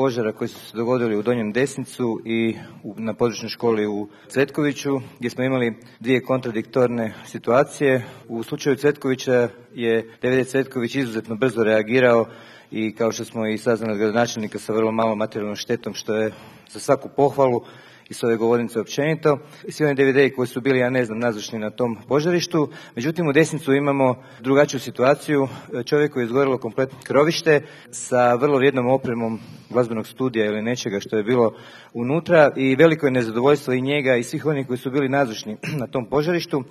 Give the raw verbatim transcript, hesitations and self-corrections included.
požara koji su se dogodili u Donjem Desnicu i na područnoj školi u Cvetkoviću, gdje smo imali dvije kontradiktorne situacije. U slučaju Cvetkovića je D V D Cvetković izuzetno brzo reagirao i kao što smo i saznali od gradonačelnika sa vrlo malom materijalnom štetom, što je za svaku pohvalu i s ove govornice općenito. Svi oni D V D koji su bili, ja ne znam, nazočni na tom požarištu. Međutim, u Desnicu imamo drugačiju situaciju. Čovjeku je izgorilo kompletno krovište sa vrlo vrijednom opremom glazbenog studija ili nečega što je bilo unutra i veliko je nezadovoljstvo i njega i svih onih koji su bili nazočni na tom požarištu.